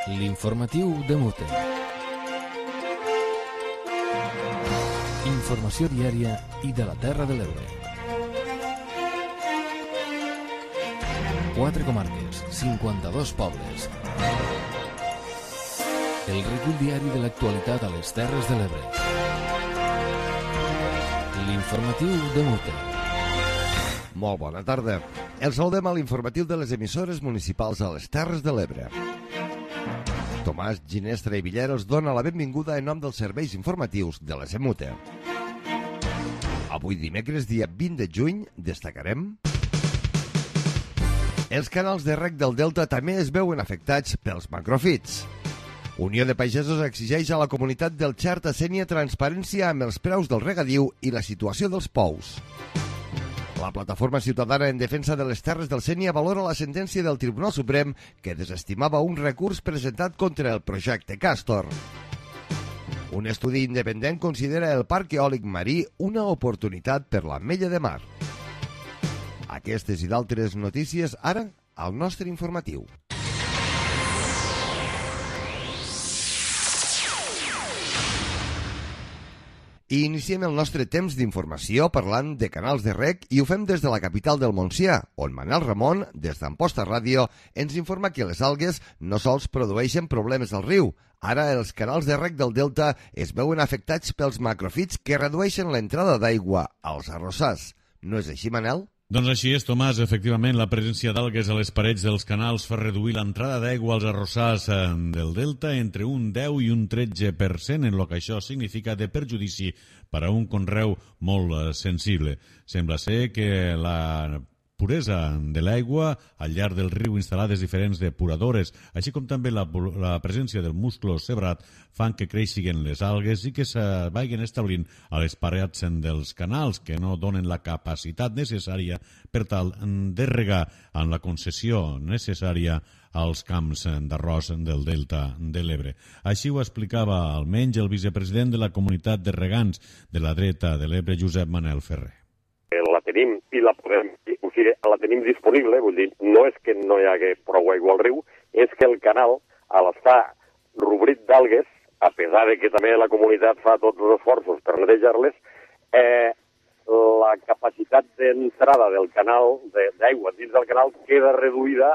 L'informatiu de Mute. Informació diària i de la Terra de l'Ebre. 4 comarques, 52 pobles. El recull diari de l'actualitat a les Terres de l'Ebre. L'informatiu de Mute. Molt bona tarda. Els saludem a l'informatiu de les emissores municipals a les Terres de l'Ebre. Tomàs Ginestra i Villera els dona la benvinguda en nom dels serveis informatius de la Semute. Avui dimecres, dia 20 de juny, destacarem... Els canals de reg del Delta també es veuen afectats pels macrofits. Unió de Pagesos exigeix a la comunitat del Xerta Sénia transparència amb els preus del regadiu i la situació dels pous. La plataforma ciutadana en defensa de les terres del Sénia valora la sentència del Tribunal Suprem que desestimava un recurs presentat contra el projecte Castor. Un estudi independent considera el parc eòlic marí una oportunitat per l'Ametlla de Mar. Aquestes i d'altres notícies ara al nostre informatiu. I iniciem el nostre temps d'informació parlant de canals de reg i ho fem des de la capital del Montsià, on Manel Ramon, des d'Amposta Ràdio, ens informa que les algues no sols produeixen problemes al riu. Ara els canals de reg del Delta es veuen afectats pels macrofits que redueixen l'entrada d'aigua als arrossars. No és així, Manel? Doncs així és, Tomàs. Efectivament, la presència d'algues a les parets dels canals fa reduir l'entrada d'aigua als arrossars del Delta entre un 10 i un 13%, en el que això significa de perjudici per a un conreu molt sensible. Sembla ser que la puresa de l'aigua al llarg del riu instal·lades diferents depuradores, així com també la presència del musclo sebrat, fan que creixin les algues i que se vagin establint a les parets dels canals, que no donen la capacitat necessària per tal de regar en la concessió necessària als camps d'arròs del Delta de l'Ebre. Així ho explicava almenys el vicepresident de la comunitat de regants de la dreta de l'Ebre, Josep Manel Ferrer. La tenim i la podem, o sigui, la tenim disponible, vull dir, no és que no hi hagi prou aigua al riu, és que el canal, al estar rubrit d'algues, a pesar de que també la comunitat fa tots els esforços per netejar-les, la capacitat d'entrada del canal, d'aigua dins del canal, queda reduïda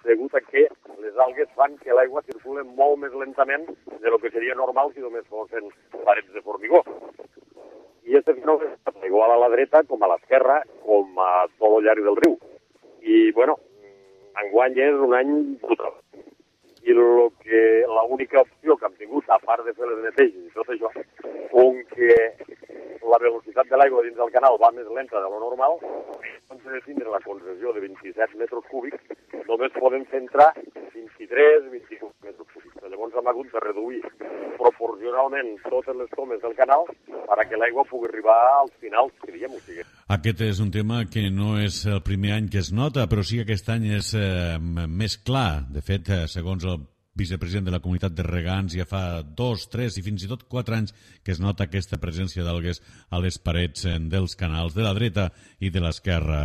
degut a que les algues fan que l'aigua circula molt més lentament de lo que seria normal si només fossin parets de formigó. I aquest fenomen és igual a la dreta com a l'esquerra, com a tot el llarg del riu. I, bueno, enguany és un any brutal. I l'única opció que hem tingut, a part de fer les neteges i tot això, com que la velocitat de l'aigua dins del canal va més lenta de lo normal, doncs de tindre la concessió de 27 metres cúbics, només podem fer entrar 23, 25 metres cúbics. Llavors hem hagut de reduir proporcionalment totes les tomes del canal perquè l'aigua pugui arribar als finals que diem. O sigui. Aquest és un tema que no és el primer any que es nota, però sí que aquest any és més clar. De fet, segons el vicepresident de la comunitat de regants, ja fa 2, 3 i fins i tot 4 anys que es nota aquesta presència d'algues a les parets dels canals de la dreta i de l'esquerra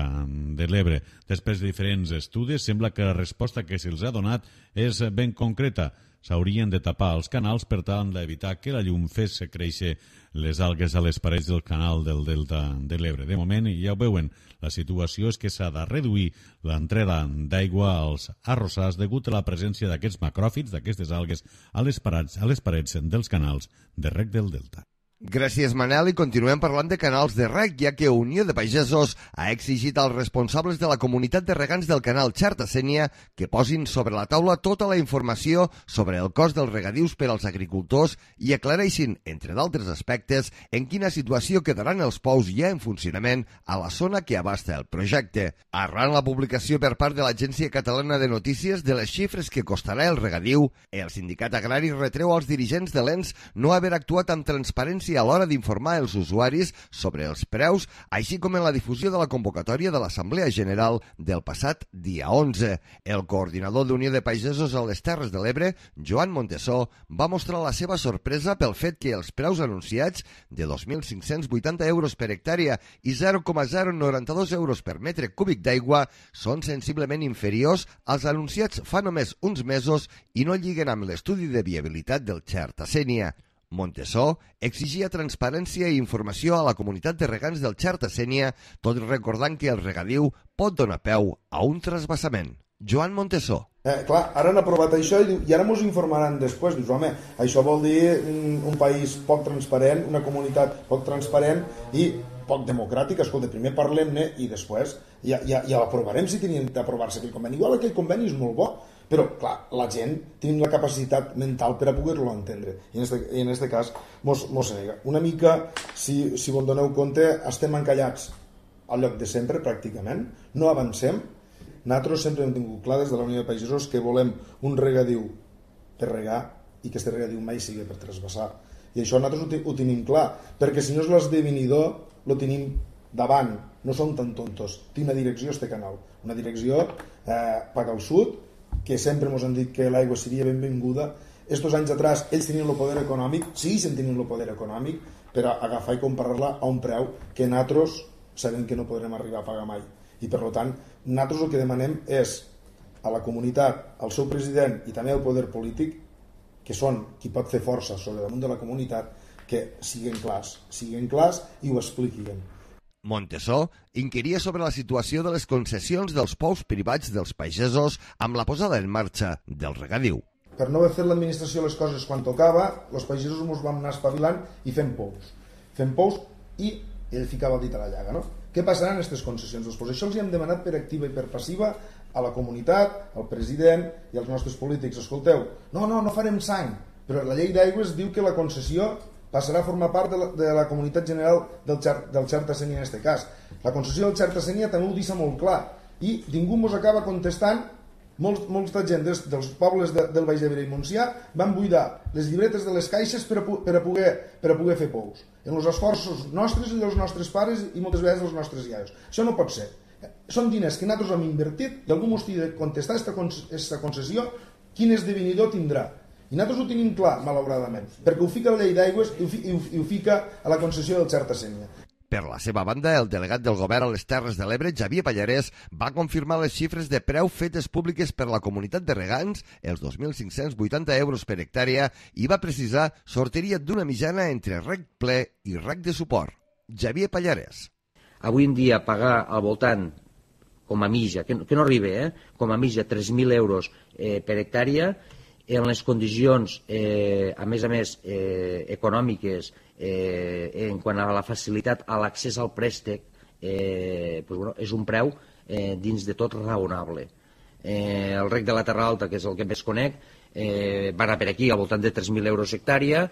de l'Ebre. Després de diferents estudis, sembla que la resposta que se'ls ha donat és ben concreta. S'haurien de tapar els canals per tal d'evitar que la llum fes créixer les algues a les parets del canal del Delta de l'Ebre. De moment, ja ho veuen, la situació és que s'ha de reduir l'entrada d'aigua als arrossars degut a la presència d'aquests macròfits, d'aquestes algues, a les parets dels canals de reg del Delta. Gràcies, Manel, i continuem parlant de canals de reg, ja que Unió de Pagesos ha exigit als responsables de la comunitat de regants del canal Xerta Sénia que posin sobre la taula tota la informació sobre el cost dels regadius per als agricultors i aclareixin, entre d'altres aspectes, en quina situació quedaran els pous ja en funcionament a la zona que abasta el projecte. Arran la publicació per part de l'Agència Catalana de Notícies de les xifres que costarà el regadiu, el sindicat agrari retreu als dirigents de l'ENS no haver actuat amb transparència transparència a l'hora d'informar els usuaris sobre els preus, així com en la difusió de la convocatòria de l'Assemblea General del passat dia 11. El coordinador d'Unió de Pagesos a les Terres de l'Ebre, Joan Montesó, va mostrar la seva sorpresa pel fet que els preus anunciats de 2.580 euros per hectàrea i 0,092 euros per metre cúbic d'aigua són sensiblement inferiors als anunciats fa només uns mesos i no lliguen amb l'estudi de viabilitat del Xerta-Sénia. Montesó exigia transparència i informació a la comunitat de regants del Xerta-Sénia, tot recordant que el regadiu pot donar peu a un trasbassament. Joan Montesó. Clar, ara han aprovat això i ara ens informaran després. Dius, home, això vol dir un país poc transparent, una comunitat poc transparent i poc democràtica. Escolta, primer parlem-ne i després ja l'aprovarem si tenien d'aprovar-se aquell conveni. Igual aquell conveni és molt bo, però, clar, la gent tenim la capacitat mental per a poder-lo entendre. I en aquest cas mos nega. Una mica, si vos doneu compte, estem encallats al lloc de sempre, pràcticament. No avancem. Nosaltres sempre hem tingut clar des de la Unió de Pagesos que volem un regadiu per regar i que aquest regadiu mai sigui per trasbassar. I això nosaltres ho tenim clar, perquè si no és l'esdevenidor, ho tenim davant. No som tan tontos. Té una direcció, este canal. Una direcció paga al sud, que sempre ens han dit que l'aigua seria benvinguda. Estos anys atrás ells tenien el poder econòmic, sí, se'n tenien el poder econòmic, per agafar i comparar-la a un preu que nosaltres sabem que no podrem arribar a pagar mai. I per tant, nosaltres el que demanem és a la comunitat, al seu president i també al poder polític, que són qui pot fer força sobre damunt de la comunitat, que siguin clars i ho expliquin. Montesó inquiria sobre la situació de les concessions dels pous privats dels pagesos amb la posada en marxa del regadiu. Per no haver fet l'administració les coses quan tocava, els pagesos ens vam anar espavilant i fent pous. Fent pous i ell ficava el dit a la llaga, no? Què passarà en aquestes concessions? Doncs això els hem demanat per activa i per passiva a la comunitat, al president i als nostres polítics. Escolteu, no farem sang, però la llei d'aigües diu que la concessió passarà a formar part de la comunitat general del Xerta-Sénia en aquest cas. La concessió del Xerta-Sénia també ho deixa molt clar i ningú ens acaba contestant. Molta gent dels pobles del Baix Ebre i Montsià van buidar les llibretes de les caixes per a poder fer pous. En els esforços nostres i dels nostres pares i moltes vegades dels nostres iaios. Això no pot ser. Són diners que nosaltres hem invertit i algú ens ha de contestar aquesta concessió quin esdevenidor tindrà. I nosaltres ho tenim clar, malauradament, perquè ho fica la llei d'aigües i ho fica a la concessió del Xerta-Sénia. Per la seva banda, el delegat del govern a les Terres de l'Ebre, Xavier Pallarès, va confirmar les xifres de preu fetes públiques per la comunitat de regants, els 2.580 euros per hectàrea, i va precisar sortiria d'una mitjana entre reg ple i reg de suport. Xavier Pallarès. Avui en dia pagar al voltant, com a mitja, que no arriba, com a mitja 3.000 euros per hectàrea, en les condicions, a més, econòmiques, en quant a la facilitat a l'accés al préstec, és un preu dins de tot raonable. El reg de la Terra Alta, que és el que més conec, va anar per aquí al voltant de 3.000 euros hectàrea,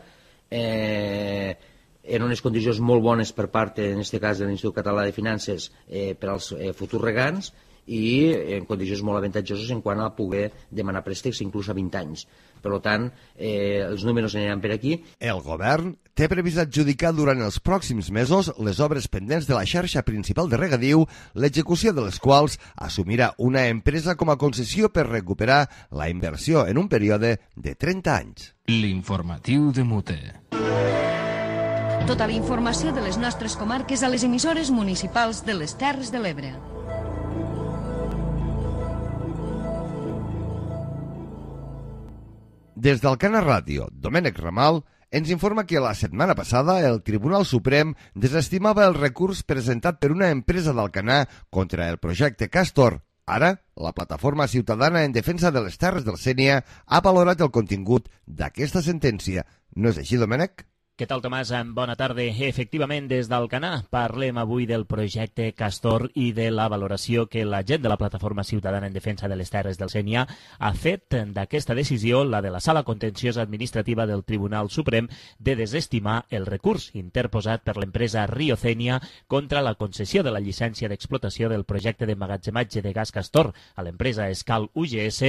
en unes condicions molt bones per part, en aquest cas, de l'Institut Català de Finances per als futurs regants, i en condicions molt avantatjoses en quant a poder demanar préstecs inclús a 20 anys. Per tant, els números aniran per aquí. El govern té previst adjudicar durant els pròxims mesos les obres pendents de la xarxa principal de regadiu, l'execució de les quals assumirà una empresa com a concessió per recuperar la inversió en un període de 30 anys. L'informatiu de Mute. Tota la informació de les nostres comarques a les emissores municipals de les Terres de l'Ebre. Des del Cana Ràdio, Domènec Ramal ens informa que la setmana passada el Tribunal Suprem desestimava el recurs presentat per una empresa d'Alcanar contra el projecte Castor. Ara, la plataforma ciutadana en defensa de les Terres del Sénia ha valorat el contingut d'aquesta sentència. No és així, Domènec? Què tal, Tomàs? Bona tarda. Efectivament, des d'Alcanar parlem avui del projecte Castor i de la valoració que la gent de la Plataforma Ciutadana en Defensa de les Terres del Sénia ha fet d'aquesta decisió, la de la Sala Contenciosa Administrativa del Tribunal Suprem, de desestimar el recurs interposat per l'empresa Riocènia contra la concessió de la llicència d'explotació del projecte d'emmagatzematge de gas Castor a l'empresa Escal UGS,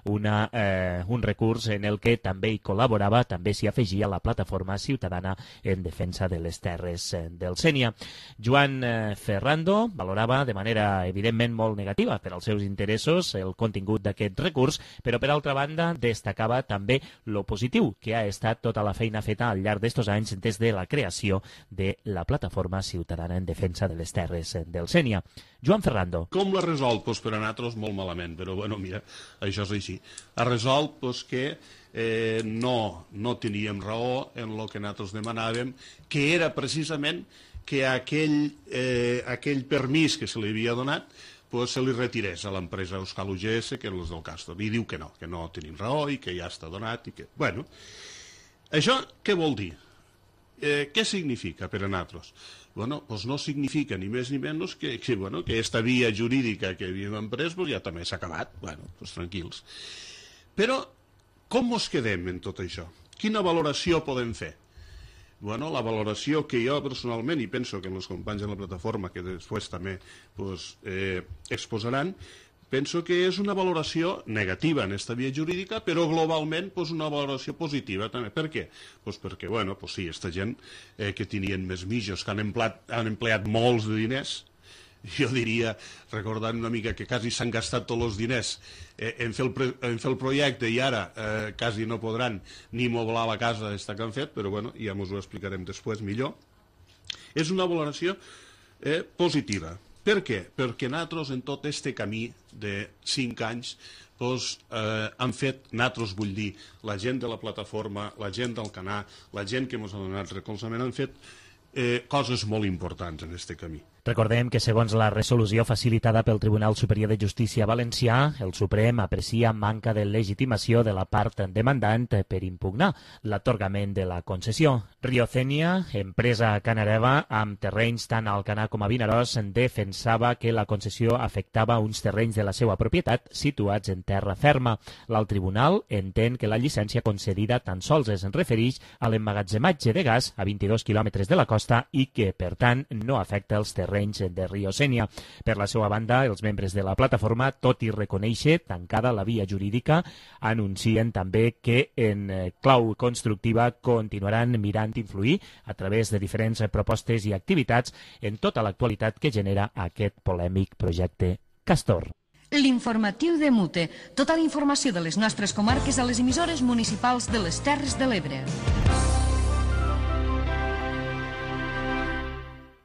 un recurs en el que també hi col·laborava, també s'hi afegia la Plataforma Ciutadana ciutadana en defensa de les terres del Sénia. Joan Ferrando valorava de manera evidentment molt negativa per als seus interessos el contingut d'aquest recurs, però per altra banda destacava també lo positiu que ha estat tota la feina feta al llarg d'estos anys des de la creació de la Plataforma Ciutadana en Defensa de les Terres del Sénia. Joan Ferrando. Com l'ha resolt? Pues per a nosaltres molt malament, però bueno, mira, això és així. Ha resolt pues, que no teníem raó en el que nosaltres demanàvem, que era precisament que aquell permís que se li havia donat pues, se li retirés a l'empresa Euskal UGS, que és els del Castor. I diu que no tenim raó i que ja està donat. I que... Bueno, això què vol dir? Què significa per a nosaltres? Bueno, doncs no significa ni més ni menys que aquesta via jurídica que havíem emprès ja també s'ha acabat. Bueno, doncs tranquils. Però com ens quedem en tot això? Quina valoració podem fer? Bueno, la valoració que jo personalment, i penso que els companys de la plataforma que després també exposaran, penso que és una valoració negativa en aquesta via jurídica, però globalment una valoració positiva també. Per què? Perquè, sí, aquesta gent que tenien més mitjos, que han empleat molts de diners, jo diria, recordant una mica que quasi s'han gastat tots els diners en fer el projecte i ara quasi no podran ni moblar la casa que han fet, però ja ens ho explicarem després millor. És una valoració positiva. Per què? Perquè nosaltres en tot aquest camí de 5 anys han fet, nosaltres vull dir, la gent de la plataforma, la gent del Canà, la gent que ens ha donat recolzament, han fet coses molt importants en aquest camí. Recordem que, segons la resolució facilitada pel Tribunal Superior de Justícia Valencià, el Suprem aprecia manca de legitimació de la part demandant per impugnar l'atorgament de la concessió. Riocènia, empresa canareva amb terrenys tant al Canà com a Vinaròs, defensava que la concessió afectava uns terrenys de la seva propietat situats en terra ferma. L'alt tribunal entén que la llicència concedida tan sols es refereix a l'emmagatzematge de gas a 22 quilòmetres de la costa i que, per tant, no afecta els terrenys de Riocènia. Per la seva banda, els membres de la plataforma, tot i reconèixer tancada la via jurídica, anuncien també que en clau constructiva continuaran mirant influir a través de diferents propostes i activitats en tota l'actualitat que genera aquest polèmic projecte Castor. L'informatiu de Mute. Tota la informació de les nostres comarques a les emissores municipals de les Terres de l'Ebre.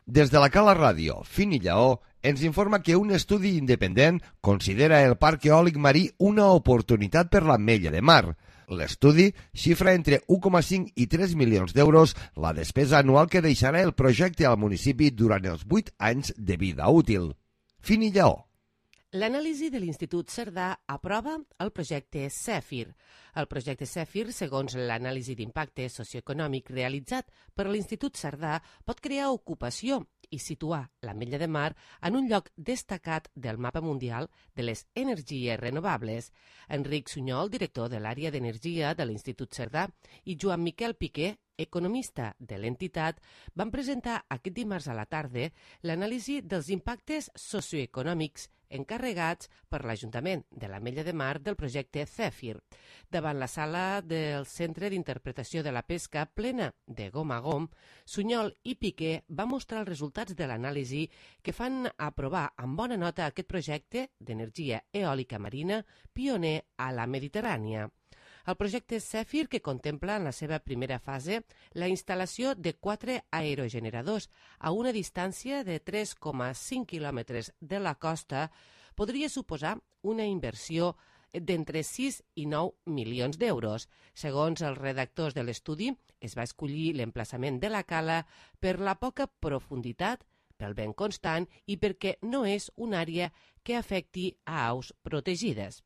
Des de la Cala Ràdio, Fin i Lleó, ens informa que un estudi independent considera el parc eòlic marí una oportunitat per l'Ametlla de Mar. L'estudi xifra entre 1,5 i 3 milions d'euros la despesa anual que deixarà el projecte al municipi durant els 8 anys de vida útil. Fin i Lleó. L'anàlisi de l'Institut Cerdà aprova el projecte Cèfir. El projecte Cèfir, segons l'anàlisi d'impacte socioeconòmic realitzat per l'Institut Cerdà, pot crear ocupació i situar l'Ametlla de Mar en un lloc destacat del mapa mundial de les energies renovables. Enric Sunyol, director de l'àrea d'energia de l'Institut Cerdà, i Joan Miquel Piqué, economista de l'entitat, van presentar aquest dimarts a la tarda l'anàlisi dels impactes socioeconòmics encarregats per l'Ajuntament de l'Ametlla de Mar del projecte Cèfir. Davant la sala del Centre d'Interpretació de la Pesca plena de gom a gom, Sunyol i Piqué van mostrar els resultats de l'anàlisi que fan aprovar amb bona nota aquest projecte d'energia eòlica marina pioner a la Mediterrània. El projecte Cèfir, que contempla en la seva primera fase la instal·lació de 4 aerogeneradors a una distància de 3,5 quilòmetres de la costa, podria suposar una inversió d'entre 6 i 9 milions d'euros. Segons els redactors de l'estudi, es va escollir l'emplaçament de la cala per la poca profunditat, pel vent constant i perquè no és una àrea que afecti a aus protegides.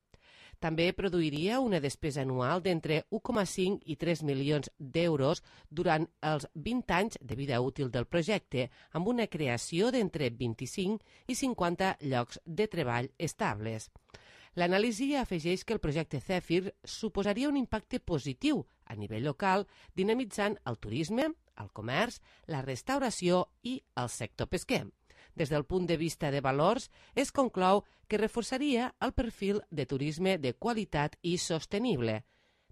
També produiria una despesa anual d'entre 1,5 i 3 milions d'euros durant els 20 anys de vida útil del projecte, amb una creació d'entre 25 i 50 llocs de treball estables. L'anàlisi afegeix que el projecte Cèfir suposaria un impacte positiu a nivell local, dinamitzant el turisme, el comerç, la restauració i el sector pesquer. Des del punt de vista de valors, es conclou que reforçaria el perfil de turisme de qualitat i sostenible.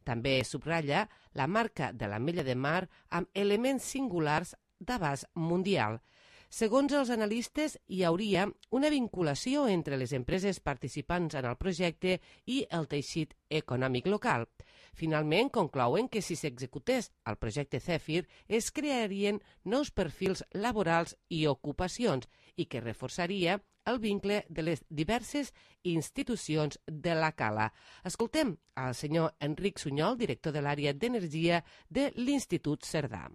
També subratlla la marca de l'Ametlla de Mar amb elements singulars d'abast mundial. Segons els analistes, hi hauria una vinculació entre les empreses participants en el projecte i el teixit econòmic local. Finalment, conclouen que si s'executés el projecte Zèfir es crearien nous perfils laborals i ocupacions i que reforçaria el vincle de les diverses institucions de la Cala. Escoltem al senyor Enric Sunyol, director de l'àrea d'energia de l'Institut Cerdà.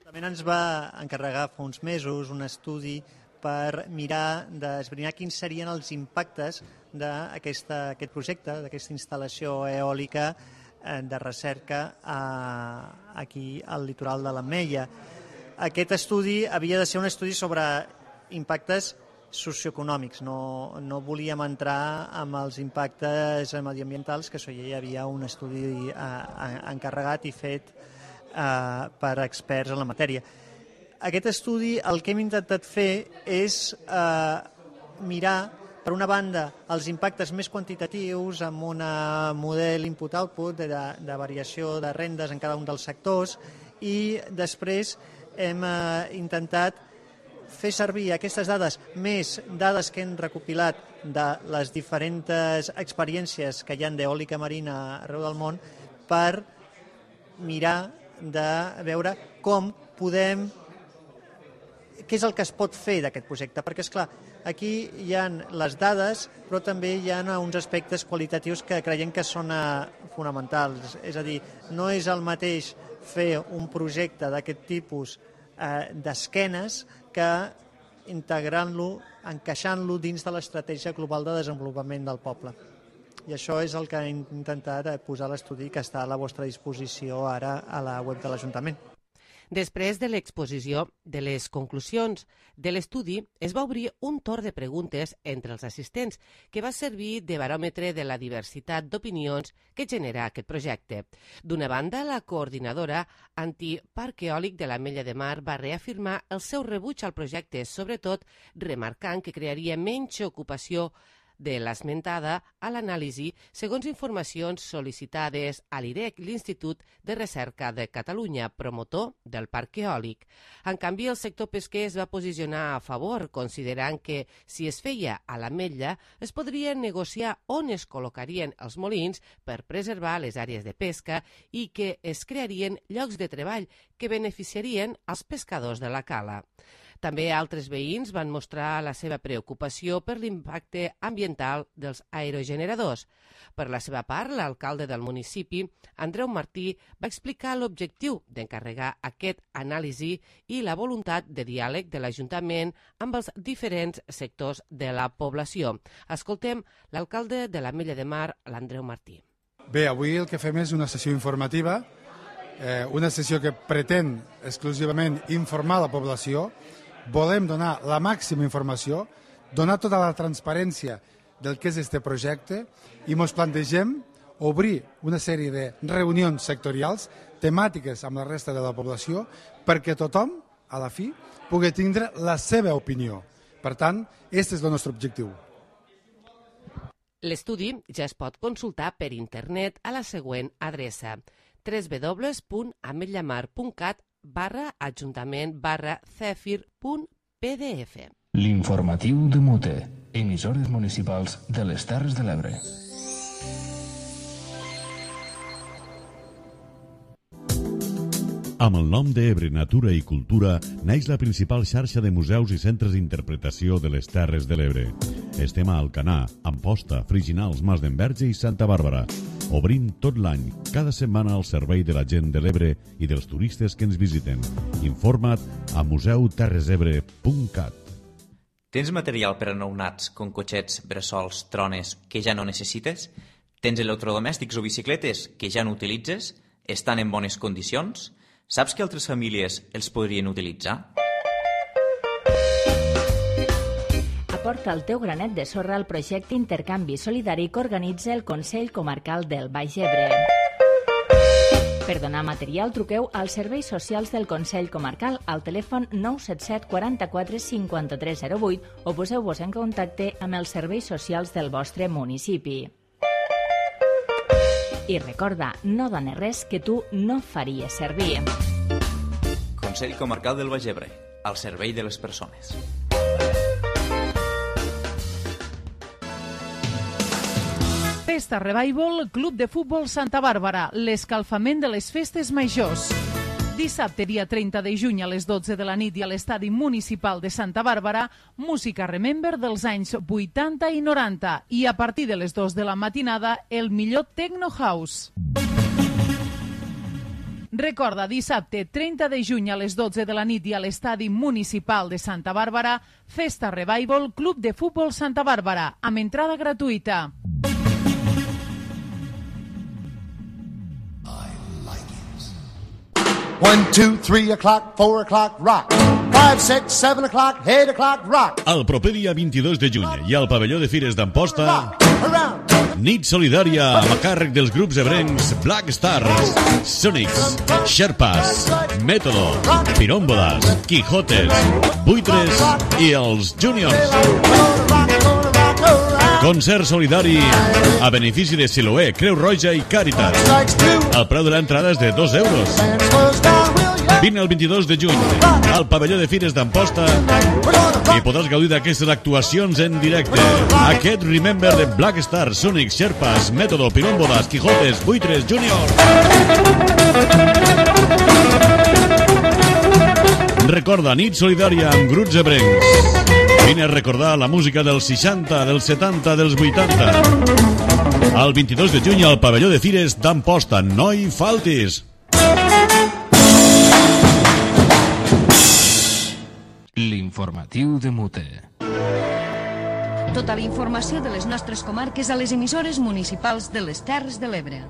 També ens va encarregar fa uns mesos un estudi per mirar d'esbrinar quins serien els impactes d'aquest projecte, d'aquesta instal·lació eòlica de recerca aquí al litoral de l'Ametlla. Aquest estudi havia de ser un estudi sobre impactes socioeconòmics, no volíem entrar amb els impactes mediambientals, que això ja hi havia un estudi encarregat i fet per experts en la matèria. Aquest estudi el que hem intentat fer és mirar, per una banda, els impactes més quantitatius amb un model input-output de variació de rendes en cada un dels sectors i després hem intentat fer servir aquestes dades, més dades que hem recopilat de les diferents experiències que hi ha d'eòlica marina arreu del món per mirar de veure com podem, què és el que es pot fer d'aquest projecte, perquè esclar, aquí hi ha les dades, però també hi ha uns aspectes qualitatius que creiem que són fonamentals, és a dir, no és el mateix fer un projecte d'aquest tipus d'esquenes que integrant-lo, encaixant-lo dins de l'estratègia global de desenvolupament del poble. I això és el que hem intentat posar a l'estudi que està a la vostra disposició ara a la web de l'Ajuntament. Després de l'exposició de les conclusions de l'estudi, es va obrir un torn de preguntes entre els assistents que va servir de baròmetre de la diversitat d'opinions que genera aquest projecte. D'una banda, la coordinadora antiparc eòlic de l'Ametlla de Mar va reafirmar el seu rebuig al projecte, sobretot remarcant que crearia menys ocupació de l'esmentada a l'anàlisi segons informacions sol·licitades a l'IREC, l'Institut de Recerca de Catalunya, promotor del parc eòlic. En canvi, el sector pesquer es va posicionar a favor, considerant que si es feia a l'Ametlla es podria negociar on es col·locarien els molins per preservar les àrees de pesca i que es crearien llocs de treball que beneficiarien als pescadors de la Cala. També altres veïns van mostrar la seva preocupació per l'impacte ambiental dels aerogeneradors. Per la seva part, l'alcalde del municipi, Andreu Martí, va explicar l'objectiu d'encarregar aquest anàlisi i la voluntat de diàleg de l'Ajuntament amb els diferents sectors de la població. Escoltem l'alcalde de l'Ametlla de Mar, l'Andreu Martí. Bé, avui el que fem és una sessió informativa, una sessió que pretén exclusivament informar la població. Volem donar la màxima informació, donar tota la transparència del que és este projecte i ens plantegem obrir una sèrie de reunions sectorials temàtiques amb la resta de la població perquè tothom, a la fi, pugui tindre la seva opinió. Per tant, aquest és el nostre objectiu. L'estudi ja es pot consultar per internet a la següent adreça: www.ametllaMar.cat/ajuntament/cefir.pdf. L'informatiu de Mute, emissores municipals de les Terres de l'Ebre. Amb el nom d'Ebre Natura i Cultura neix la principal xarxa de museus i centres d'interpretació de les Terres de l'Ebre. Estem a Alcanar, Amposta, Friginals, Mas d'Enverge i Santa Bàrbara. Obrim tot l'any, cada setmana al servei de la gent de l'Ebre i dels turistes que ens visiten. Informa't a museuterresebre.cat. Tens material per a nounats, com cotxets, bressols, trones, que ja no necessites? Tens electrodomèstics o bicicletes que ja no utilitzes? Estan en bones condicions? Saps que altres famílies els podrien utilitzar? Aporta el teu granet de sorra al projecte Intercanvi Solidari que organitza el Consell Comarcal del Baix Ebre. Per donar material, truqueu als serveis socials del Consell Comarcal al telèfon 977 44 5308 o poseu-vos en contacte amb els serveis socials del vostre municipi. I recorda, no dones res que tu no faries servir. Consell Comarcal del Baix Ebre, al servei de les persones. Festa Revival, Club de Futbol Santa Bàrbara, l'escalfament de les festes majors. Dissabte, dia 30 de juny, a les 12 de la nit i a l'estadi municipal de Santa Bàrbara, música Remember dels anys 80 i 90 i a partir de les 2 de la matinada, el millor Techno House. Recorda, dissabte 30 de juny a les 12 de la nit i a l'estadi municipal de Santa Bàrbara, Festa Revival, Club de Futbol Santa Bàrbara, amb entrada gratuïta. One, 2, 3 o'clock, 4 o'clock, rock. 5, 6, 7 o'clock, 8 o'clock, rock. El proper dia 22 de juny i al pavelló de Fires d'Amposta, nit solidària a càrrec dels grups ebrencs Black Stars, Sonics, Sherpas, Método, Pirómbodas, Quijotes, Buitres i els Juniors. Concert solidari a benefici de Siloé, Creu Roja i Càritas. El preu de l'entrada és de 2 euros. Vine el 22 de juny al pavelló de Fires d'Amposta i podràs gaudir d'aquestes actuacions en directe. Aquest Remember de Black Stars, Sonic, Sherpas, Método, Pirómbodas, Quijotes, Buitres, Junior. Recorda, nit solidària amb grups ebrencs. Vine a recordar la música dels 60, dels 70, dels 80. El 22 de juny al pavelló de Fires d'Amposta. No hi faltis! L'informatiu de Mute. Tota la informació de les nostres comarques a les emissores municipals de les Terres de l'Ebre.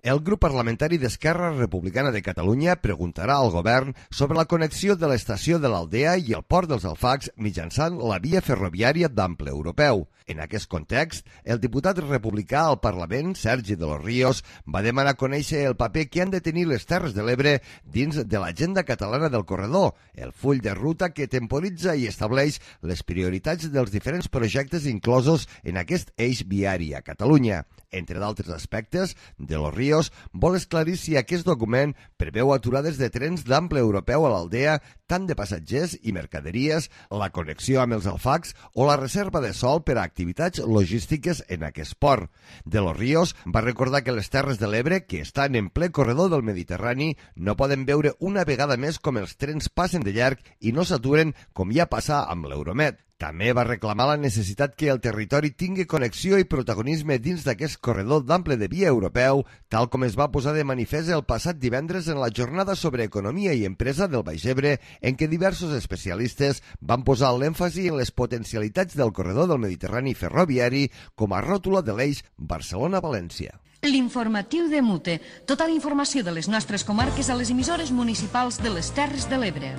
El grup parlamentari d'Esquerra Republicana de Catalunya preguntarà al govern sobre la connexió de l'estació de l'Aldea i el port dels Alfacs mitjançant la via ferroviària d'ample europeu. En aquest context, el diputat republicà al Parlament, Sergi de los Ríos, va demanar conèixer el paper que han de tenir les Terres de l'Ebre dins de l'agenda catalana del corredor, el full de ruta que temporitza i estableix les prioritats dels diferents projectes inclosos en aquest eix viari a Catalunya. Entre d'altres aspectes, de los Ríos vol esclarir si aquest document preveu aturades de trens d'ample europeu a l'Aldea, tant de passatgers i mercaderies, la connexió amb els Alfacs o la reserva de sòl per a activitats logístiques en aquest port. De los Ríos va recordar que les Terres de l'Ebre, que estan en ple corredor del Mediterrani, no poden veure una vegada més com els trens passen de llarg i no s'aturen com ja passa amb l'Euromed. També va reclamar la necessitat que el territori tingui connexió i protagonisme dins d'aquest corredor d'ample de via europeu, tal com es va posar de manifest el passat divendres en la jornada sobre economia i empresa del Baix Ebre, en què diversos especialistes van posar l'èmfasi en les potencialitats del corredor del Mediterrani ferroviari com a ròtula de l'eix Barcelona-València. L'informatiu de Mute. Tota la informació de les nostres comarques a les emissores municipals de les Terres de l'Ebre.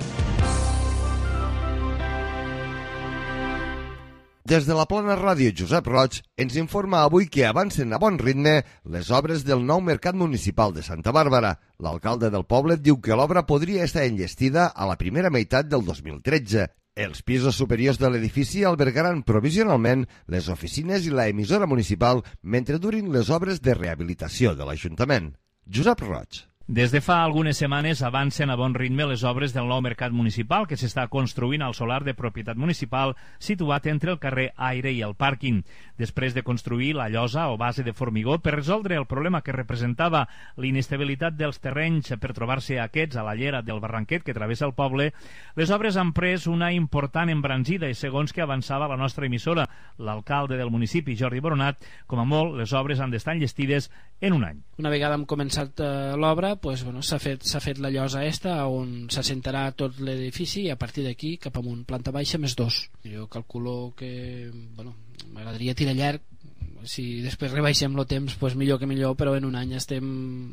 Des de la Plana Ràdio Josep Roig ens informa avui que avancen a bon ritme les obres del nou mercat municipal de Santa Bàrbara. L'alcalde del poble diu que l'obra podria estar enllestida a la primera meitat del 2013. Els pisos superiors de l'edifici albergaran provisionalment les oficines i la emissora municipal mentre durin les obres de rehabilitació de l'Ajuntament. Josep Roig. Des de fa algunes setmanes avancen a bon ritme les obres del nou mercat municipal que s'està construint al solar de propietat municipal situat entre el carrer Aire i el pàrquing. Després de construir la llosa o base de formigó per resoldre el problema que representava l'inestabilitat dels terrenys per trobar-se aquests a la llera del barranquet que travessa el poble, les obres han pres una important embranzida i segons que avançava la nostra emissora, l'alcalde del municipi, Jordi Boronat, com a molt les obres han d'estar enllestides en un any. Una vegada hem començat l'obra, s'ha fet la llosa on s'assentarà tot l'edifici i a partir d'aquí cap amunt, planta baixa més 2. Jo calculo que m'agradaria tirar llarg, si després rebaixem el temps millor que millor, però en un any estem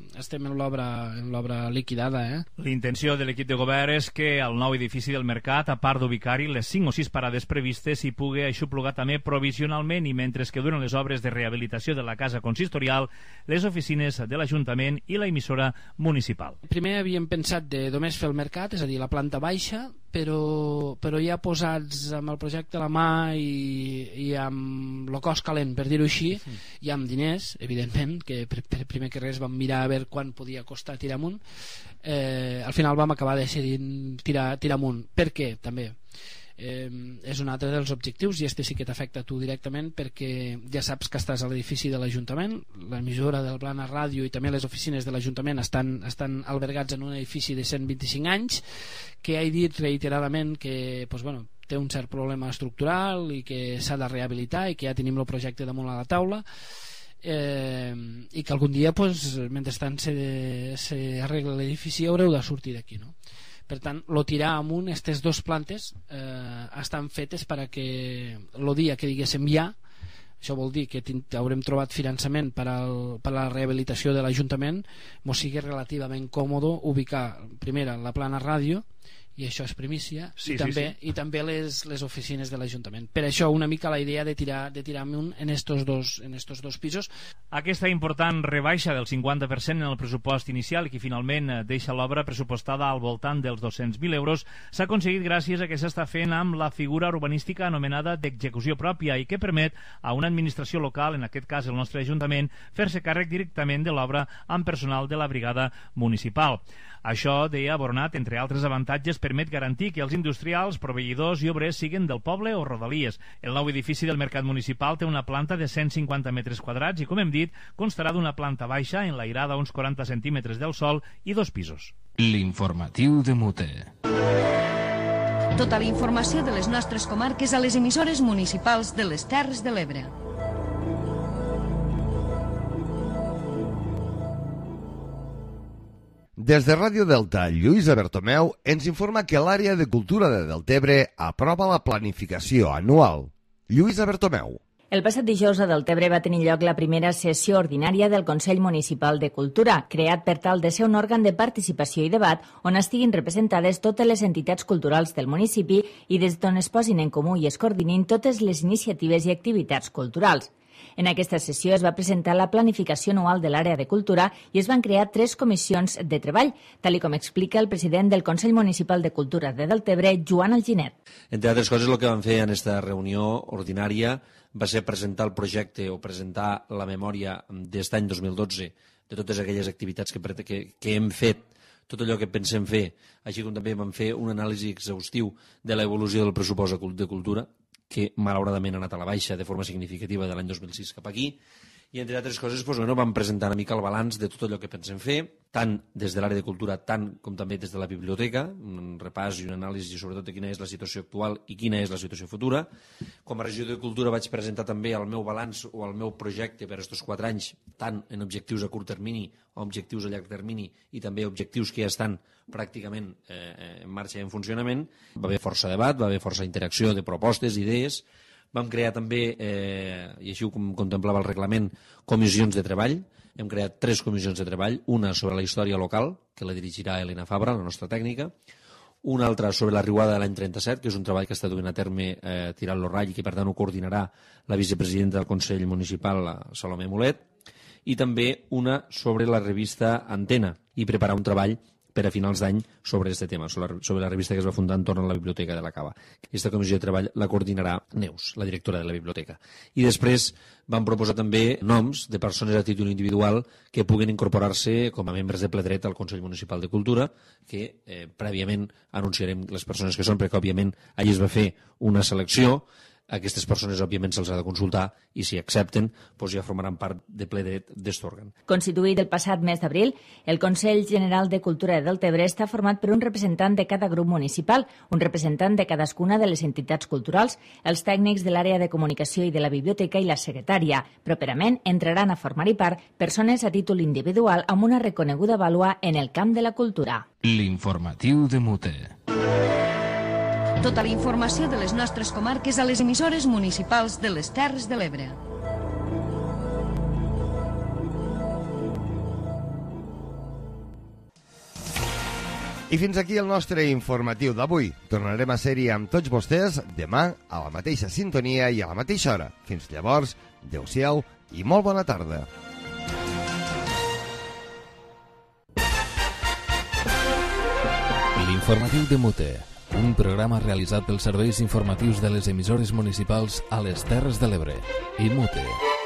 en l'obra liquidada. L'intenció de l'equip de govern és que el nou edifici del mercat, a part d'ubicar-hi les 5 o 6 parades previstes, hi pugui aixoplugar també provisionalment i mentre que duren les obres de rehabilitació de la casa consistorial, les oficines de l'Ajuntament i la emissora municipal. Primer havíem pensat de només fer el mercat, és a dir, la planta baixa, però ja posats amb el projecte a la mà i amb el cos calent, per dir-ho així, i amb diners, evidentment, que primer que res vam mirar a veure quan podia costar tirar amunt, al final vam acabar decidint tirar amunt. Per què? També és un altre dels objectius, i este sí que t'afecta a tu directament, perquè ja saps que estàs a l'edifici de l'Ajuntament, l'emissora del Plana Ràdio i també les oficines de l'Ajuntament estan albergats en un edifici de 125 anys, que he dit reiteradament que té un cert problema estructural i que s'ha de rehabilitar, i que ja tenim el projecte damunt a la taula, i que algun dia, mentrestant s'arregla l'edifici, haureu de sortir d'aquí, no? Per tant, tirar amunt, aquestes dues plantes estan fetes perquè el dia que diguéssim ja, això vol dir que haurem trobat finançament per a la rehabilitació de l'Ajuntament, mos sigui relativament còmode ubicar primer la Plana Ràdio, i això és primícia, i també les oficines de l'Ajuntament. Per això una mica la idea de tirar amunt en estos dos pisos. Aquesta important rebaixa del 50% en el pressupost inicial, i que finalment deixa l'obra pressupostada al voltant dels 200.000 euros, s'ha aconseguit gràcies a que s'està fent amb la figura urbanística anomenada d'execució pròpia, i que permet a una administració local, en aquest cas el nostre Ajuntament, fer-se càrrec directament de l'obra amb personal de la brigada municipal. Això, deia Bornat, entre altres avantatges, permet garantir que els industrials, proveïdors i obrers siguin del poble o rodalies. El nou edifici del Mercat Municipal té una planta de 150 metres quadrats i, com hem dit, constarà d'una planta baixa enlairada a uns 40 centímetres del sòl i 2 pisos. L'informatiu de Mute. Tota la informació de les nostres comarques a les emissores municipals de les Terres de l'Ebre. Des de Ràdio Delta, Lluïsa Bertomeu ens informa que l'àrea de cultura de Deltebre aprova la planificació anual. Lluïsa Bertomeu. El passat dijous a Deltebre va tenir lloc la primera sessió ordinària del Consell Municipal de Cultura, creat per tal de ser un òrgan de participació i debat on estiguin representades totes les entitats culturals del municipi i des d'on es posin en comú i es coordinin totes les iniciatives i activitats culturals. En aquesta sessió es va presentar la planificació anual de l'àrea de cultura i es van crear 3 comissions de treball, tal com explica el president del Consell Municipal de Cultura de Deltebre, Joan Alginet. Entre altres coses, el que vam fer en aquesta reunió ordinària va ser presentar el projecte o presentar la memòria d'aquest any 2012 de totes aquelles activitats que hem fet, tot allò que pensem fer, així com també vam fer un anàlisi exhaustiu de l'evolució del pressupost de cultura, que malauradament ha anat a la baixa de forma significativa de l'any 2006 cap aquí, i entre altres coses vam presentar una mica el balanç de tot allò que pensem fer, tant des de l'àrea de cultura tant com també des de la biblioteca, un repàs i un anàlisi sobretot de quina és la situació actual i quina és la situació futura. Com a regió de cultura vaig presentar també el meu balanç o el meu projecte per aquests 4 anys, tant en objectius a curt termini o objectius a llarg termini i també objectius que ja estan pràcticament en marxa i en funcionament. Va haver força debat, va haver força interacció de propostes, idees. Vam crear també, i així ho contemplava el reglament, comissions de treball. Hem creat 3 comissions de treball, una sobre la història local, que la dirigirà Elena Fabra, la nostra tècnica, una altra sobre la riuada de l'any 37, que és un treball que està duent a terme tirant-lo ratll i que per tant ho coordinarà la vicepresidenta del Consell Municipal, la Salomé Mulet, i també una sobre la revista Antena, i preparar un treball per a finals d'any sobre aquest tema, sobre la revista que es va fundar entorn a la Biblioteca de la Cava. Aquesta comissió de treball la coordinarà Neus, la directora de la biblioteca. I després vam proposar també noms de persones a títol individual que puguen incorporar-se com a membres de ple dret al Consell Municipal de Cultura, que prèviament anunciarem les persones que són, perquè òbviament allí es va fer una selecció. Aquestes persones, òbviament, se'ls ha de consultar i, si accepten, ja formaran part de ple dret d'aquest òrgan. Constituït el passat mes d'abril, el Consell General de Cultura de Deltebre està format per un representant de cada grup municipal, un representant de cadascuna de les entitats culturals, els tècnics de l'àrea de comunicació i de la biblioteca i la secretària. Properament entraran a formar-hi part persones a títol individual amb una reconeguda vàlua en el camp de la cultura. L'informatiu de Mute. Tota la informació de les nostres comarques a les emissores municipals de les Terres de l'Ebre. I fins aquí el nostre informatiu d'avui. Tornarem a ser-hi amb tots vostès demà a la mateixa sintonia i a la mateixa hora. Fins llavors, adeu-siau i molt bona tarda. L'informatiu de Mute. un programa realitzat pels serveis informatius de les emissores municipals a les Terres de l'Ebre. IMUTE.